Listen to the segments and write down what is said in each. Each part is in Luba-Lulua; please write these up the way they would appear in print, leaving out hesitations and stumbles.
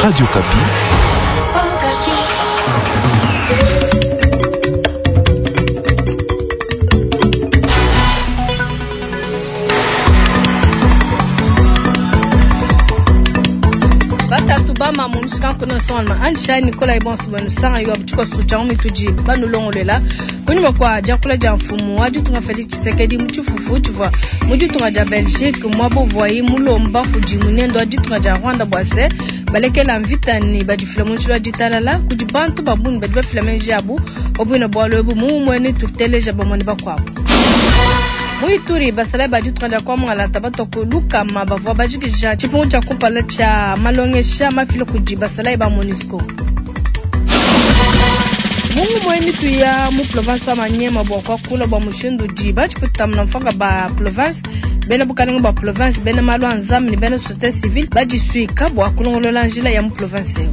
Radio Okapi. Batatu bamamu mushikankono nsonga anjishayi nikolayi bonso benu sanga yo tshikoso tshia mitudi banulongolola kunyima kua diakula dia mfumu wa ditunga Felix Tshisekedi mu tshifufu tshivua mu ditunga dia Belgique muaba uvuayi mulomba kudi munendo wa ditunga dia Rwanda bua se balekela mvita ne badifila mu njila wa ditalala kudi bantu ba bungi badi bafila meji abu pa bualu ebu mumue ne tuteleja bamue ne bakuabu. Mu Ituri basalayi ba ditunga dia Kwa-Mungalata batua ku lukama bavua bajikija tshipungu tshia kumpala tshia malongesha mafila kudi basalayi ba MONUSCO. Mungu mwe mitu ya mu province wa Maniema bua kuakula bua mushindu udi batshiputamuna mfanga ba province bena bukalenge bua province bena malu a nzambi ne bena société civile badisuika bua kulongolola njila ya mu province eu.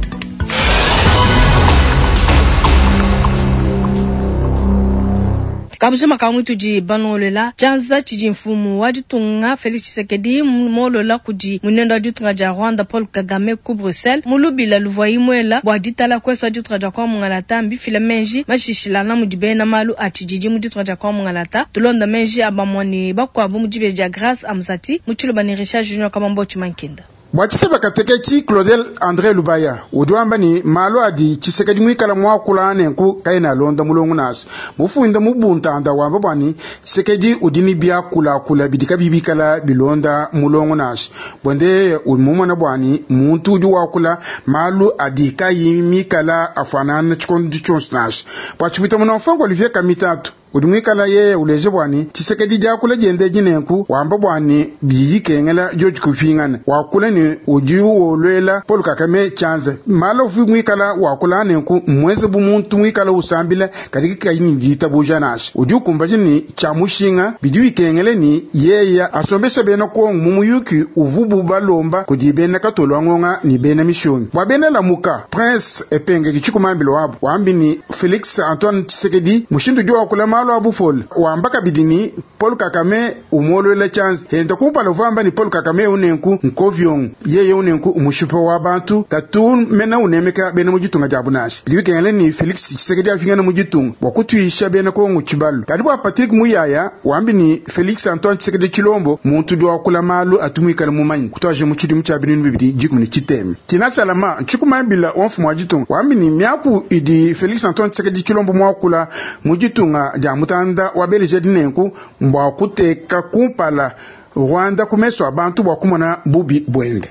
Kabujima ka mutudi balongolola tshianza tshidi mfumu wa ditunga Felix Tshisekedi molola kudi munendo wa ditunga dia Rwanda Paul Kagame ku Bruxelles mu lubila luvuayi muela bua ditala kuesu wa ditunga dia Kwa Mungalata mbifila menji mashishilana mudi bena malu a tshididi mu ditunga dia Kwa Mungalata tulonda menji a bamue ne bakuabu mu dibeji dia Grace Amzati mu tshiloba ne Richard Junior Kamambo Tshimankenda. Bua tshiseba kateketshi Claudel Andre Lubaya udi wamba ne malu adi Tshisekedi muikala muakula nenku kaena alonda mulongo nansha mufunda mu buntanda wamba bua ne Tshisekedi udi ne biakulakula bidi kabiyi bikala bilonda mulongo nansha buende mumona bua ne muntu udi wakula malu adi kayi mikala afuanana tshikondo tshionso nansha bua tshipita muna Olivier Kamitatu udi muikala yeye uleje bua ne Tshisekedi diakula diende dinenku wamba bua ne bidi kengela dioji kupingana wakula ne udi wolwela Paul Kagame tshianza malu uvi muikala wakula nenku mwenze bu muntu muikala usambila kadi kayi ne ditabuja nansha udi ukumbaja ne tshia mushinga bidi bikengele ni yeye asombesha bena Kongo mu muyuki uvubu balomba kudi bena katolo ngonga ni bena mishonyi bua bena Lamuka Prince Epenge tshikumambilo wabo wambi ni Felix Antoine Tshisekedi mushindu udi wakula malu a bupole wamba kabidi ni Paul Kagame umolwela tshianza henda kumpala uvamba ni Paul Kagame unenku nkovyongo yeye unenku umushipa wa bantu katu mena unemeka bena mu ditunga dia bunashi bidi bikengela ni Felix Tshisekedi afingana mu ditunga bua kutuisha bena Kongo tshibalu kadi bua Patrick Muyaya wambi ni Felix Antoine Tshisekedi Tshilombo muntu udi wakula malu atumwikala mumanyi kutwaje mu tshidimu tshia binunu bibidi dikumi ne tshiteme Tina Salama tshikumambila wa mfumu wa ditunga wambi ni miaku idi Felix Antoine Tshisekedi Tshilombo muakula mu ditunga dia mutanda wa Belgique dinenku mbwa kuteka kumpala Rwanda kumeso abantu bua kumona bubi bwende.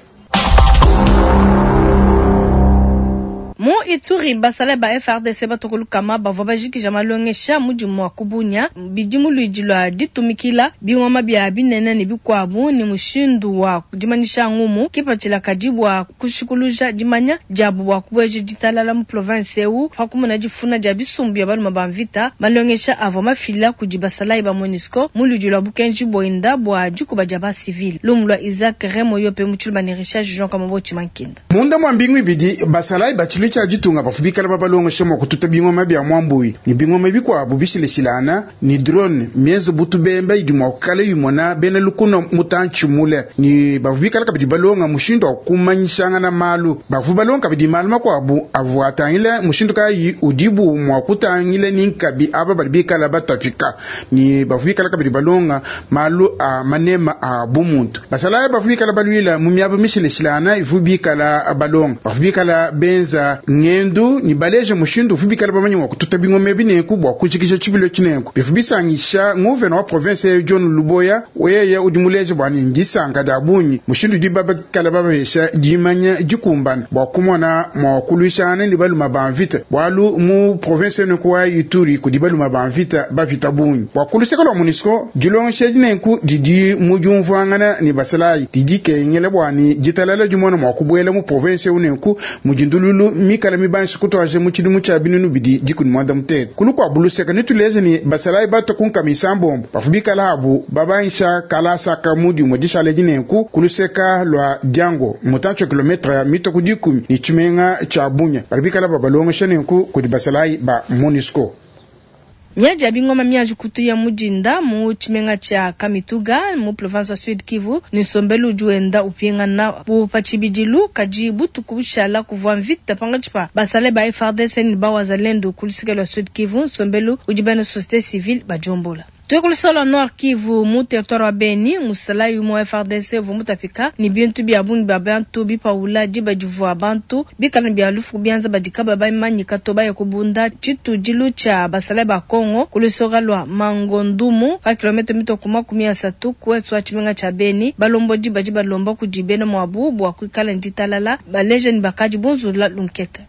Mu Ituri basalayi ba FARDC batokolukama bavua bajikija malongesha mudimu wa kubunya bidimu luidi lua ditumikila bingoma bia binene ne bikuabu ni mushindu wa dimanyisha ngumu kipatshila kadi bua kushikuluja dimanya diabu bua kubueja ditalala mu province eu pa kumona difuna dia bisumbu bia baluma ba mvita malongesha avua mafila kudi basalayi ba MONUSCO mu luidi lua bukenji boinda bua dikuba dia ba civil lumu lua Isaac Remo Yope mu tshiluba ne Richard Jean Kamambo Tshimankenda. Munda mwa mbingu ibidi basalayi batshilu tshia ditunga bafubikala babalongesha mua kututa bingoma bia mwambui ni bingoma bikuabu bishileshilana ni drone mienze butu bemba idi mua kukala yimona bena lukuna mutantshi mule ni bafubikala kabidi balonga mushindu wa kumanyishangana malu bafu balonga kabidi malu makuabu avua atangila mushindu kayi udibu mua kutangila ni nkabi aba badi bikala batapika ni bafubikala kabidi balonga malu a manema a bumuntu basalayi bafubikala baluila mu miaba mishileshilana ivu bikala balonga bafubikala benza ngendu ni baleje mushindu ufubikala bamanyi wa kututa bingoma bineku bua kujikija tshibilo tshineku bifu bisangisha nguvena wa province John Luboya weye udi muleje bua ni ndisanka dia bungi mushindu udi babakala babahesha dimanya dikumbana bua kumona mua kuluishana ni baluma ba mvita bualu mu province neku wa Ituri kudi baluma ba mvita bavita bungi bua kuluseka lua MONUSCO dilongesha dinenku didi mu diumvuangana ni basalayi didi kengela bua ni ditalala dimona mua kubuela mu province unenku mujindululu mikala mibanshi kutwaje mu tshidimu tshia binunu bidi dikumi mwanda mutete kulu kua buluseka nituleze ni basalayi bato kunkamisa mbombo bafubikala abu babansha kalasaka mudi dishale dinenku kuluseka lua diango mutantshi wa kilometre ya mito dikumi ni tshimenga tshia bunya bali bikala babalongesha nenku kudi basalayi ba MONUSCO. Miadi ya bingoma mianji kutuya mu dinda mu tshimenga tshia Kamituga mu province wa Sud Kivu ne nsombelu udi wenda upingana bu pa tshibidilu. Kadi butuku bushala kuvua mvita pankatshi pa basalayi ba FARDC ne ba Wazalendo ku luseke lua Sud Kivu, nsombelu udi bena societe civile badiombola. Tuye ku luseke lua Nord Kivu mu territoire wa Beni, musalayi umue wa FARDC uvua mutapika ne bintu bia bungi bia bantu bipawula diba divua bantu bikala ne bia lufu ku bianza badi kabayi bamanyika to baya kubunda tshitudilu tshia basalayi ba Congo ku lusoka lua Mangondumu pa kilometre mitue ku 30 ku ouest wa tshimenga tshia Beni. Balombodi badi balomba kudi bena muabu bua kuikala ne ditalala, baleja ne bakadi bunzulula lunkete.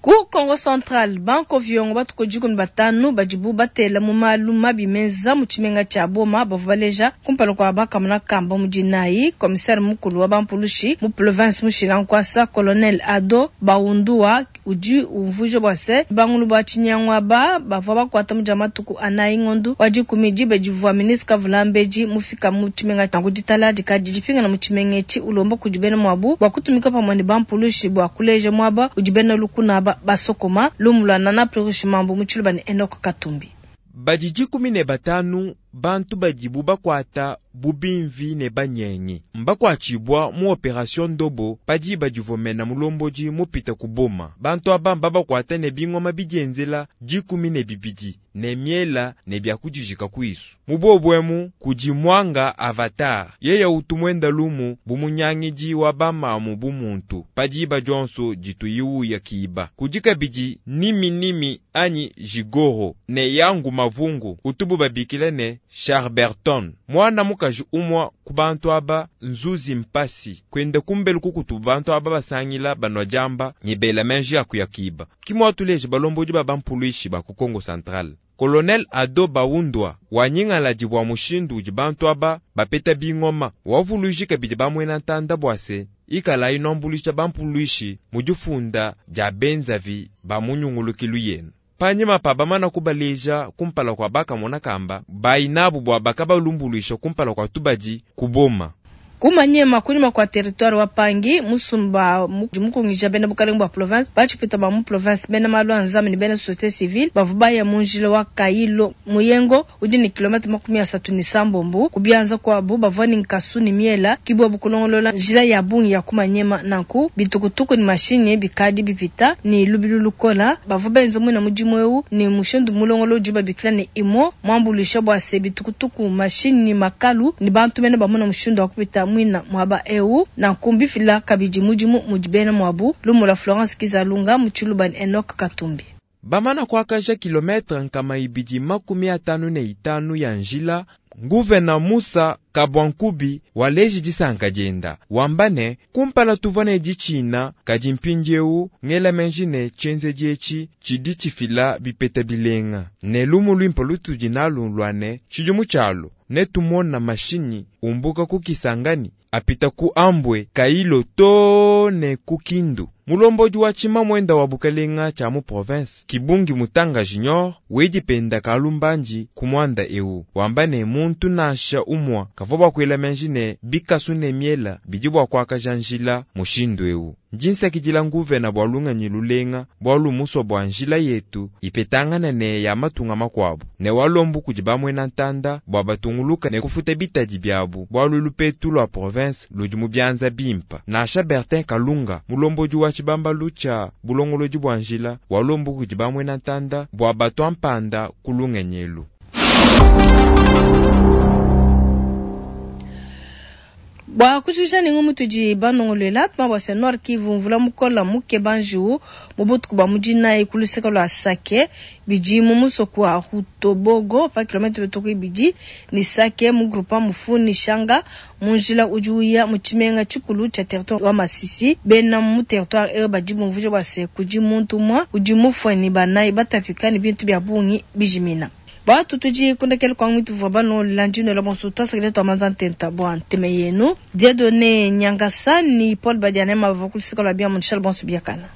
Ku Kongo Central, ba nkoviongo batue ku 15 badibu batela mu malu mabi menza mu tshimenga tshia Boma bavua baleja kumpala kua ba kamona kamba mu dinayi. Commissaire mukulu wa ba mpulushi mu province mushila nkuasa, Colonel Ado Baundua udi umvuija bua se, bangulu ba tshinyangu aba bavua bakuata mu dia matuku anayi ngondu wa dikumi diba divua ministre Kavulambedi mufika mu tshimenga. Nanku ditalala dikadi dipingana mu tshimenga etshi, ulomba kudi bena muabu bua kutumika pamue ne ba mpulushi bua kuleja muaba udi bena lukuna aba basokoma. Lumu lua Nana Plurish Mambu mu Tshiluba ne Enock Katumbi. Badi 15 bantu badibu bakuata bu bimvi ne banyengi mbakuatshibua mu operation Ndobo pa diba divua mena mulombodi mupita ku Boma. Bantu aba mbabakuata ne bingoma bidienzela 12 ne miela ne bia kudijika kuisu. Mu bobu emu kudi Mwanga Avatar, yeya utu muenda lumu bu munyangidi wa bamamu bu muntu pa diba dionso dituyi uya kiba. Kudi kabidi Nimi Nimi anyi Jigoro ne Yangu Mavungu utubu babikila ne Charberton. Mwana mukaji umua ku bantu aba Nzuzi Mpasi kwenda kumbelu kukutu bantu aba basangila banwa diamba ne bela menji ya kuya kiba. Kimwa tuleje balombodi ba bampuluishi ba ku Kongo Central. Colonel Ado Baundwa wanyingala dibwa mushindu udi bantu aba bapeta bingoma wavuluiji kabidi bamwena ntanda bwa se ikala inombulisha bampuluishi mu difunda dia benzavi ba munyungulukilu yenu. Panyima pa bamana kubaleja kumpala kwa bakamona kamba bayinabu bwa bakabalumbuluisha kumpala kwa tubadi kuboma. Kumanyema kunyima kwa territoire wa Pangi musumba mukungija bena bukalenga bwa province bachipita ba mu province bena malu a nzambi ne bena société civile bavua baya mu njila wa Kailo Muyengo udi ne kilomètre 37 kubianza kwabu bavua ne nkasu ne miela kibwa bukulongolola njila ya bungi ya kumanyema nanku bitukutuku ne mashine bikadi bipita ne lubilu lukola bavua benza mwina mudimu eu ne mushindu mulongolo udi babikila ne imo mwambuluisha bwa se bitukutuku mashine ne makalu ne bantu bena bamona mushindu wa kupita mwina mwaba eu na nkumbi fila kabidi mudimu mudi bena mwabu lumula Florence Kizalunga mu Tshiluba ne Enoch Katumbi. Bamana kuakaja kilometre 255 ya njila nguvena Musa Kabwankubi waleji disanka dienda wamba ne kumpala tuvua ne ditshina kadi mpindieu ngela menji ne tshienzedi etshi tshidi tshifila bipeta bilenga ne lumu luimpe lutudi nalu lua ne tshidimu tshialu ne tumona mashinyi umbuka ku Kisangani apita ku Ambwe Kailo to ne ku Kindu. Mulombodi wa tshima mwenda wa bukalenga tshia mu province Kibungi Mutanga Junior wedipenda kalumbanji ku mwanda eu wamba ne muntu nansha umwa kavua bakwela menji ne bikasu ne miela bidi bua kuakaja njila mushindu eu. Njinsakidila nguvena bua lunganyi lulenga bua lumuswa bua njila yetu ipetangana ne ya matunga makuabu ne walombu kudi bamwena ntanda bua batunguluka ne kufuta bitadi biabu bua lulupetu lua province ludi mu bianza bimpa. Nansha Bertin Kalunga mulombodi wa tshibambalu tshia bulongolodi bua njila walombu kudi bamwena ntanda bua batwa mpanda ku lungenyelu. Bua kujikija ne ngumu tudi banongoluela tuma bua se Nord Kivu mvula mukola muke banjiu mu butuku bua mudinayi ku luseke lua Sake bidi mu musoko wa Rutobogo pa kilometre bituku ibidi ne Sake mu groupement Mufuni Shanga mu njila udi uya mu tshimenga tshikulu tshia territoire wa Masisi. Bena mu territoire eu badi bumvuija bua se kudi muntu umue udi mufue ne banayi batapika ne bintu bia bungi bijimina. Batu tudi kundekele kwa mwitu vwa bano landino la bonso twasakile twa manza ntenta bwa nteme yenu. Dieudonné Nyangasa ni Paul Badiane mavakulisika la bia Charles Bonso Biakana.